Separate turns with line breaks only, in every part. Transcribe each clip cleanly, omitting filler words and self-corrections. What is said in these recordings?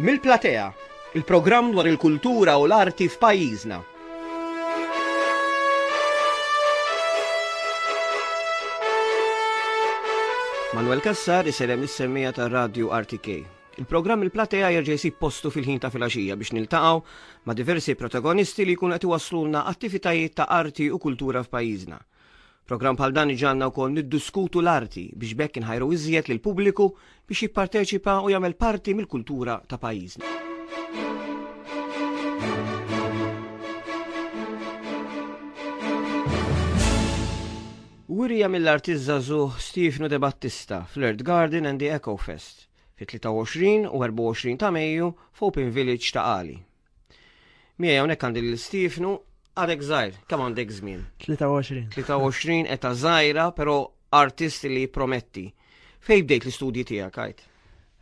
Mill-Platea, il-programm dwar il-kultura u l-arti f'pajjiżna. Manuel Cassar isellem lis-semmija tar-Radju RTK. Il-programm Il-Platea jerġa' jsib postu fil-ħin ta' filgħaxija biex niltaqgħu ma' diversi protagonisti li jkunu qed iwasslulna attivitajiet ta' arti u kultura f'pajjiżna. Programm bħal dan iġagħalna wkoll niddiskutu l-arti biex b'hekk inħajru iżjed lill-pubbliku biex jipparteċipa u jagħmel parti mill-kultura ta' pajjiżna. Wirja mill-artist żagħżugħ Stefano De Battista fl-Earth Garden and the Echo Fest fit-23 u 24 ta' Mejju f'Open Village ta' Qali. Miegħi hawnhekk għandi lil Stiefnu, għadek żgħir, kemm għandek żmien?
23.
23 eta żgħira, però artist li jipprometti. Fejn bdejt l-istudji tiegħek għajt?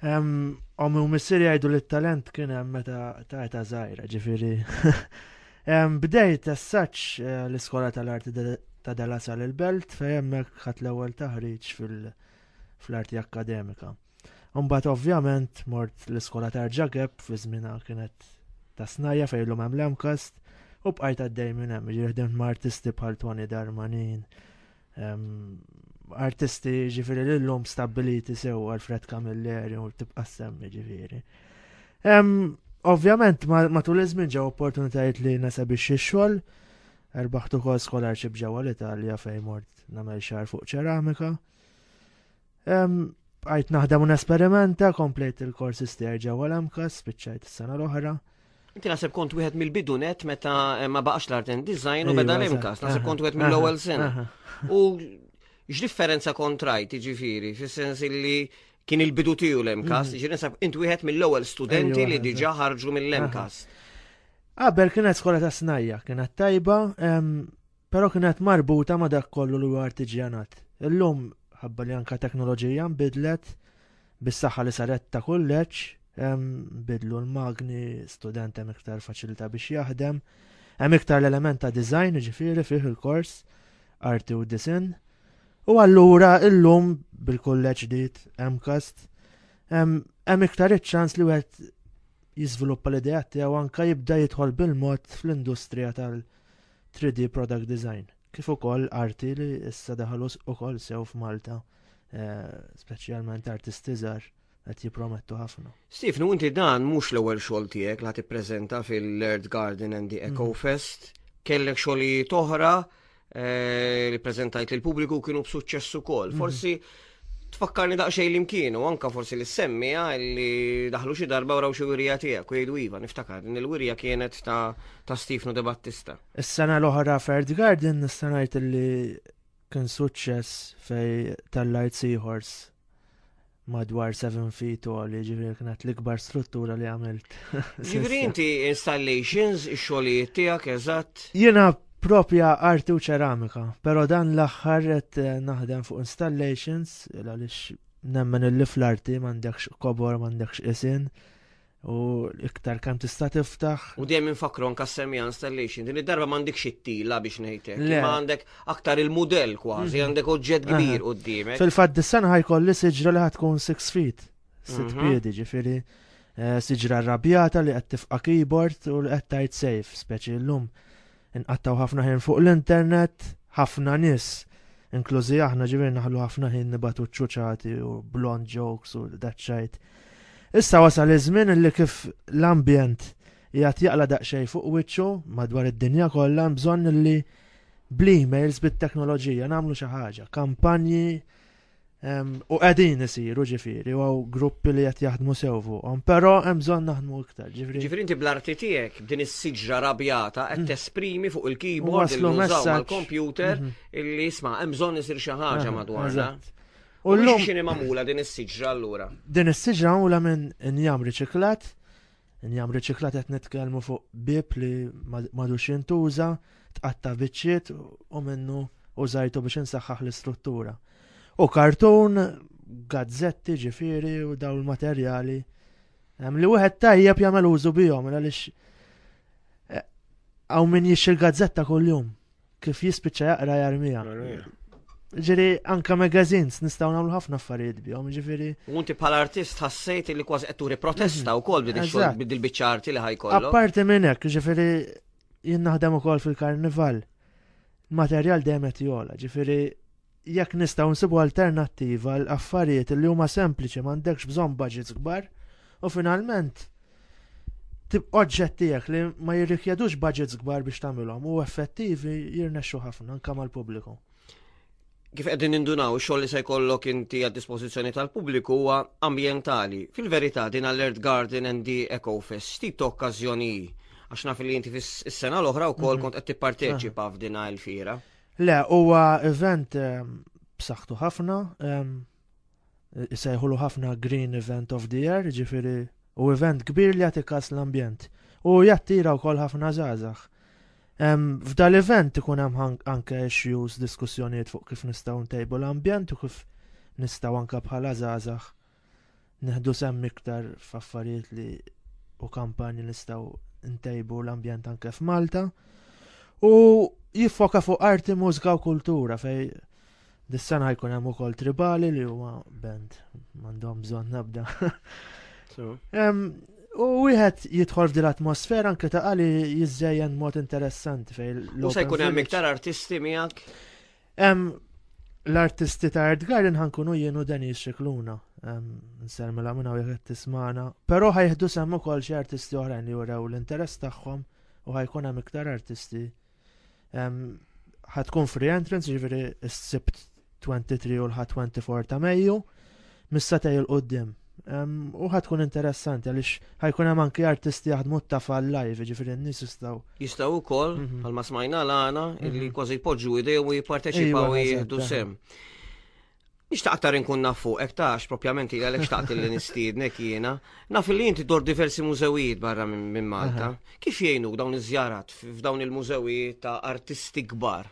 Ommi u missieri jgħidu li t-talent kien hemm meta ta' eta żgħira, ġifieri. Bdejt as such eh, l-iskola tal-arti ta' Della Sal il-Belt fejn hemmhekk ħadd l-ewwel taħriġ fil-arti akkademika. Imbagħad ovvjament mort l-iskola ta' Ġakeb fi żmienha kienet ta' snajja fejn illum hemm l-MCAST u bqajt għaddej minn hemm, ġifieri ħdimt ma' artisti bħal Tony Darmanin, artisti ġifieri li llum stabbiliti sew Alfred Camilleri u tibqa' semmi ġifieri. Ovvjament matul iż-żmien ġew opportunitajiet li nesebixxi x-xogħol, erbaħt ukoll scholarship ġewwa l-Italja fejn mort nagħmel xahar fuq ċeramika. Bqajt naħdem u nesperimenta, komplejt il-korsi tiegħi ġewwa l-MCAS, spiċċajt is-sena l-oħra.
Inti naħseb kont wieħed mill-bidu net meta eh, ma baqax l-art and design u beda l-MCAS, naħseb kont wieħed mill-ewwel sena. U x'differenza kont rajt, jiġifieri, fis-sens li kien il-bidu tiegħu l-MCAS, mhm. jiġifieri naħseb int wieħed mill-ewwel studenti li diġà ħarġu mill-MCAS.
Qabel kienet skola ta' snajja, kienet tajba, Però kienet marbuta ma' dak kollu li huwa artiġjanat. Illum, ħabba li anka teknoloġija nbidlet, bis-saħħa li saret ta' kulleġġ, bidlu l-magni, student hemm iktar faċilità biex jaħdem, hemm iktar l-element ta' design, ġifieri fih il-kors, arti u disinn. U allura illum bil-kulleġġ ġdid MCAST, hemm iktar iċ-ċans li wieħed jiżviluppa l-ideat tiegħu anka jibda jidħol bil-mod fl-industrija tal- 3D product design, kif ukoll arti li issa daħlu ukoll sew f'Malta, eh, speċjalment artisti żgħar qed jippromettu ħafna.
Stefnu, inti dan mhux l-ewwel xogħol tiegħek li tippreżenta fil-Earth Garden and the Echo mm. Fest. Kellek xogħlijiet oħra eh, li preżentajt lil pubbliku kienu b'suċċess ukoll. Mm. Forsi Tfakkarni daqsxejn li mkienu, anka forsi li semmija li daħlu xi darba wraw xi wirja tiegħek u jgħidu iva, niftakar din il-wirja kienet ta' ta' Stefano De Battista.
Is-sena l-oħra f'Earth Garden nista' ngħid li kien suċċess fej tal-Light Seahorse madwar 7 feet tall, ġifieri kienet l-ikbar struttura li għamilt.
Ġifieri inti installations, ix-xogħlijiet tiegħek eżatt.
Jiena Propja arti u ċeramika, pero dan l-aħħar qed eh, naħdem fuq installations għaliex nemmen illi fl-arti m'għandekx kobor, m'għandekx isin u iktar kemm tista' tiftaħ.
U dejjem infakru anka semmija installation, din id-darba m'għandekx it-tila biex ngħidlek, imma għandek aktar il-mudell kważi, mhm. għandek oġġett kbir quddiemek.
Fil-fatt dis-sena ħajkolli siġra li ħatkun 6 feet, 6 mhm. piedi ġifieri eh, siġra rrabjata li qed tifqa' keyboard u li qed tgħid safe, speċi llum Inqattgħu ħafna ħin fuq l-internet, ħafna nies, inklużi aħna ġifieri naħlu ħafna ħin nibatu ċuċati u blond jokes u daċċajt. Issa wasal iż-żmien li kif l-ambjent qiegħed jaqla daqsxejn fuq wiċċu madwar id-dinja kollha hemm bżonn li bl-emails bit-teknoloġija nagħmlu xi ħaġa, kampanji U qegħdin isiru ġifieri u hawn gruppi li qed jaħdmu sew fuqhom, però hemm bżonn naħdmu iktar.
Ġifieri Ġifieri inti bl-arti tiegħek b'din is-siġra rabjata qed mm. tesprimi fuq il-keyboard il nużaw mal-computer mhm. illi isma' hemm bżonn isir xi ħaġa madwarna. U llum x'inhi magħmula din is-siġra allura?
Din is-siġra magħmula minn injam riċiklat Injam riċiklat qed nitkellmu fuq bieb li m'għadux jintuża, tqatta' biċċiet u minnu użajtu biex insaħħaħ l-istruttura. U kartun, gazzetti ġifieri u dawn il-materjali li wieħed tajjeb jagħmel użu bihom għaliex eh, hawn min jixxi l-gazzetta kuljum kif jispiċċa jaqra jarmija. Ġifieri anka magazines nistgħu nagħmlu ħafna affarijiet bihom, ġifieri.
U inti bħala artist ħassejt li kważi qed turi protesta mhm. wkoll b'din ix-xogħol b'dil-biċċa arti li ħajkollok.
Apparti minn hekk, ġifieri jien naħdem ukoll fil-karnival. Materjal dejjem qed jogħla, ġifieri jekk nistgħu nsibu alternattiva l affarijiet li huma sempliċi m'għandekx bżonn budgets kbar u finalment tip oġġett tiegħek li ma jirrikjedux budgets kbar biex tagħmilhom u effettivi jirnexxu ħafna anke mal-pubbliku.
Kif qegħdin nindunaw, ix-xogħol li se jkollok inti għad dispożizzjoni tal-pubbliku huwa ambjentali. Fil-verità din Alert Garden and the Eco Fest x'tip ta' okkażjoni hi? Għax naf li inti fis-sena l-oħra wkoll mhm. kont qed tipparteċipa f'din il-fiera.
Le, huwa event ehm, b'saħħtu ħafna, ehm, isejħulu ħafna Green Event of the Year, ġifieri u event kbir li jagħti kas l-ambjent. U jattira wkoll ħafna żgħażagħ. F'dal-event ikun hemm anke issues, diskussjonijiet fuq kif nistgħu ntejbu l-ambjent u kif nistgħu anke bħala żgħażagħ neħdu sehem iktar f'affarijiet li u kampanji nistgħu ntejbu l-ambjent anke f'Malta. U jiffoka fuq arti, mużika u kultura fej dis-sena jkun hemm ukoll tribali li huma band m'għandhom bżonn nabda. U wieħed jidħol f'din l-atmosfera anke ta' qali jiżżejjen mod interessanti
fej. U se jkun hemm iktar artisti miegħek?
L-artisti ta' Art Garden ħankunu jien u Denis Xikluna. Nsermela minna u jekk tismana. Però ħajħdu sehem ukoll xi artisti oħrajn li jurew l-interess tagħhom u ħajkun hemm iktar artisti. Ħatkun free entrance, ġifieri s-Sibt 23 u l-Ħadd 24 ta' Mejju, mis-satej il-qudiem. U ħatkun interessanti għaliex ħajkun hemm anki artisti jaħdmu t-tafal live, ġifieri n-nies jistgħu.
Jistgħu wkoll, mhm. bħalma smajna l-għana, illi mhm. kważi jpoġġu idejhom u jipparteċipaw u jieħdu sem. Nixtaq aktar inkun naf fuqek tax propjament ili għalhekk xtaqt li nistiednek jiena. Naf li inti dor diversi mużewijiet barra minn Malta. Kif jgħinuk dawn iż-żjarat f'dawn il-mużewijiet ta' artisti kbar?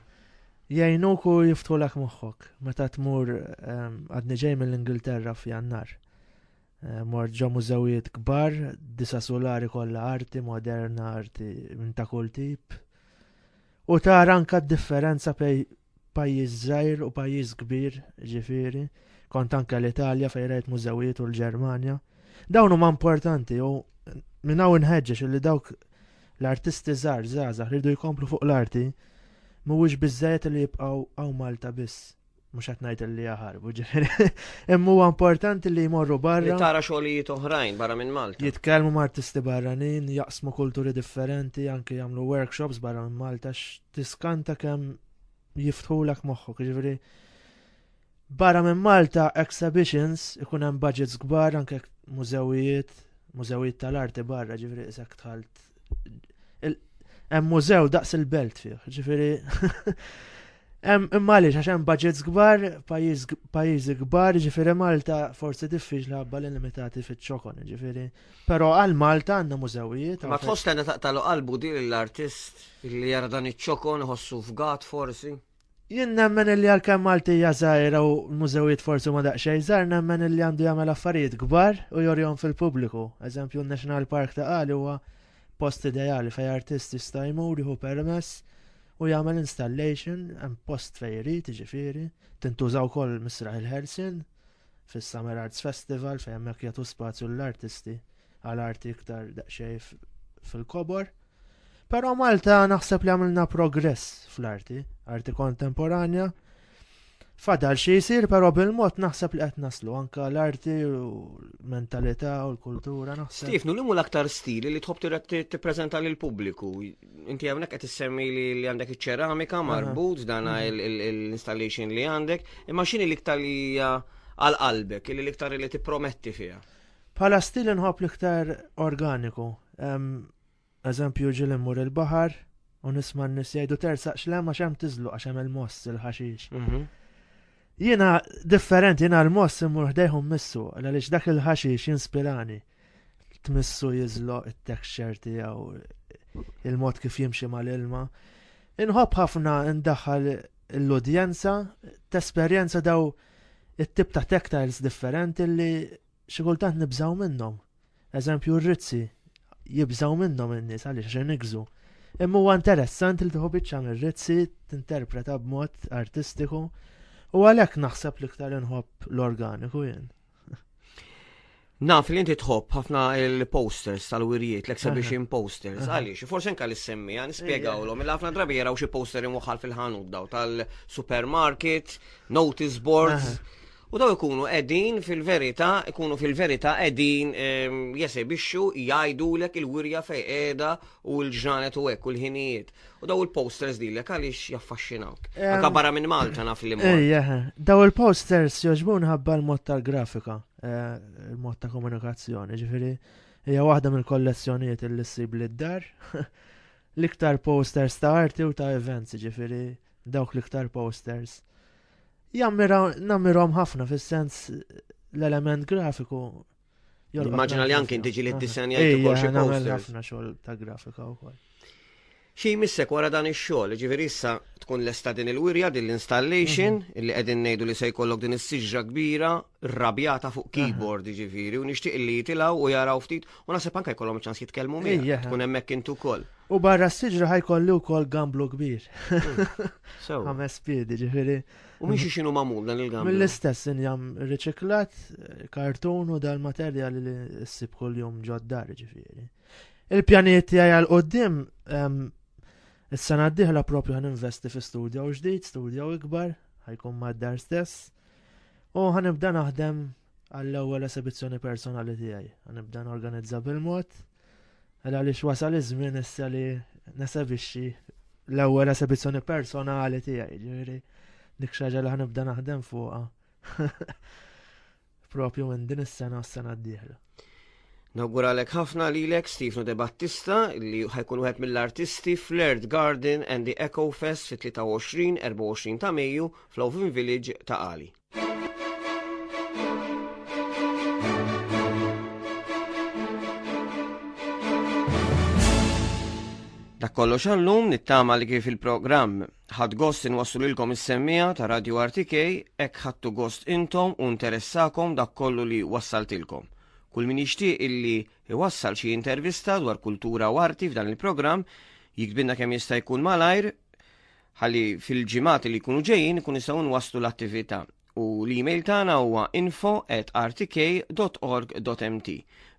Jgħinuk u jiftħulek moħħok. Meta tmur ehm, għadni ġej mill-Ingilterra f'Jannar. Eh, mort ġo mużewijiet kbar, disa solari kollha arti moderna, arti minn ta' kull tip. U tara anka d-differenza bej pajjiż żgħir u pajjiż kbir, ġifieri. Kont anke l-Italja fejn rajt mużewijiet u l-Ġermanja. Dawn huma importanti u minn hawn inħeġġeġ li dawk L-artisti żgħar, żgħażagħ li jridu jkomplu fuq l-arti, mhuwiex biżżejjed li jibqgħu hawn Malta biss. Mhux qed ngħid li jaħarbu, ġifieri. Imma huwa importanti li jmorru barra.
Li tara xogħlijiet oħrajn barra minn Malta.
Jitkellmu ma' artisti barranin, jaqsmu kulturi differenti, anke jagħmlu workshops barra minn Malta x'tiskanta kemm jiftħulek moħħok, ġifieri Barra minn Malta exhibitions ikun hemm budgets kbar anke mużewijiet, mużewijiet tal-arti barra, ġifieri isek dħalt hemm mużew daqs il-belt fih, ġifieri Imma għaliex għax hemm budgets kbar, pajjiżi kbar, ġifieri Malta forsi diffiċli ħabba li limitati fiċ-ċokon, ġifieri. Però għal Malta għandna mużewijiet.
Ma tħoss li taqtalu qalbu din l-artist li jara dan iċ-ċokon iħossu fgat forsi?
Jien nemmen illi għalkemm Malti hija żgħira u l-mużewijiet forsi huma daqsxejn żgħar, nemmen illi għandu jagħmel affarijiet kbar u jorihom fil-pubbliku. Eżempju, n-National Park ta' Qali huwa post ideali fejn artist jista' jmur jieħu permess u jagħmel installation hemm post fejn irid, jiġifieri, tintuża wkoll Misraħ il-Ħelsien fis-Summer Arts Festival fejn hemmhekk jagħtu spazju lill-artisti għal arti iktar daqsxejn fil-kobor. Però Malta naħseb li għamilna progress fl-arti, arti kontemporanja. Fadal xi jsir, però bil-mod naħseb li qed naslu anka l-arti u l-mentalità u l-kultura naħseb.
Stefnu, li l-aktar stili li tħobb tippreżenta lil pubbliku? Inti hawnhekk qed issemmi li għandek iċ-ċeramika marbut dan mhm. l-installation li għandek, imma x'inhi l-iktar li hija għal qalbek, li l-iktar li tipprometti fiha?
Bħala stil inħobb l-iktar organiku. Eżempju ġieli mmur il-baħar u nisma' n-nies jgħidu tersaqx l-hemm għax hemm tiżluq għax hemm il-moss il-ħaxix. Mhm. Jiena differenti, jiena l-moss immur ħdejh u mmissu għaliex dak il-ħaxix jinspirani. Tmissu jiżloq it-texture tiegħu, il-mod kif jimxi mal-ilma. Inħobb ħafna ndaħħal l-udjenza tesperjenza daw it-tip ta' tactiles differenti li xi kultant nibżgħu minnhom. Eżempju r-rizzi jibżgħu minnhom in-nies għaliex għax inigżu. Imma huwa interessanti li tieħu biċċa mir-rizzi tinterpreta b'mod artistiku. U għalhekk naħseb l-iktar inħobb l-organiku jien.
Naf li inti tħobb ħafna il-posters tal-wirjiet, l-exhibition posters, għaliex, forsi anka li semmija, nispjegawlhom, il ħafna drabi jaraw xi poster imwaħħal fil-ħanut daw tal-supermarket, notice boards, u daw ikunu qegħdin fil-verità, ikunu fil-verità qegħdin ehm, jesebixxu jgħidulek il-wirja fejn qiegħda u l-ġranet u hekk u l-ħinijiet. U daw il-posters lilek għaliex jaffaxxinawk? Anka barra minn Malta naf li mor.
Ejja, daw il-posters jogħġbun ħabba l-mod tal-grafika, eh, il-mod ta' komunikazzjoni, ġifieri hija waħda mill-kollezzjonijiet li ssib li d-dar. L-iktar posters ta' arti u ta' events, ġifieri dawk l-iktar posters. Jammira, nammirhom ħafna fis-sens l-element grafiku
Immaġina li anke inti ġieli ddisenjajt ukoll xi
posters. ħafna xogħol ta' grafika wkoll.
Xi jmissek wara dan ix-xogħol, ġifieri issa tkun lesta din il-wirja, din l-installation, mhm. illi qegħdin ngħidu li se jkollok din is-siġra kbira rrabjata fuq keyboard, ġifieri, u nixtieq li jitilgħu u jaraw ftit u naħseb anke jkollhom ċans jitkellmu miegħek. Tkun hemmhekk intu wkoll.
U barra s-siġra ħajkolli wkoll gamblu kbir. Hmm. Ħames piedi, ġifieri.
U minn xi x'inhu magħmul dan il-gamblu?
Mill-istess injam riċiklat, kartun u dal-materjal li ssib kuljum ġod-dar ġifieri. Il-pjanijiet tiegħi għal quddiem is-sena d-dieħla propju ħan investi fi studio ġdid, studio ikbar, ħajkun mad-dar stess. U ħanibda naħdem għall-ewwel esibizzjoni personali tiegħi. Ħanibda norganizza bil-mod. Għal għaliex wasal iż-żmien issa li nesebixxi l-ewwel esebizzjoni personali tiegħi, ġifieri dik xi ħaġa li ħanibda naħdem fuqha. Propju minn din is-sena s-sena d-dieħla.
Nawguralek ħafna lilek Stefano De Battista li ħajkun wieħed mill-artisti fl-Earth Garden and the Echo Fest fit-23-24 ta' Mejju fl-Oven Village ta' Qali. Dak kollox għallum nittama li kif il-programm ħadd gost inwassulilkom is-semmija ta' Radio RTK hekk ħadtu gost intom u interessakom dak kollu li wassaltilkom. Kull min jixtieq illi iwassal xi intervista dwar kultura u arti f'dan il-programm jiktbilna kemm jista' jkun malajr ħalli fil-ġimgħat li jkunu ġejjin ikun nistgħu nwasslu l-attività. U l-email tagħna huwa info@rtk.org.mt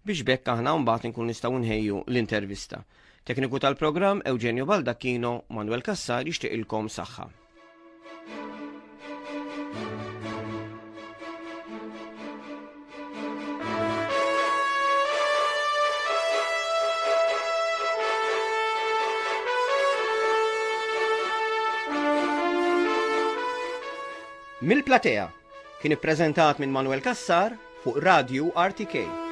biex b'hekk aħna mbagħad inkunu nistgħu nħejju l-intervista. Tekniku tal-programm Eugenio Baldacchino, Manuel Cassar jixtieqilkom saħħa. Mill-Platea kien ippreżentat minn Manuel Cassar fuq Radju RTK.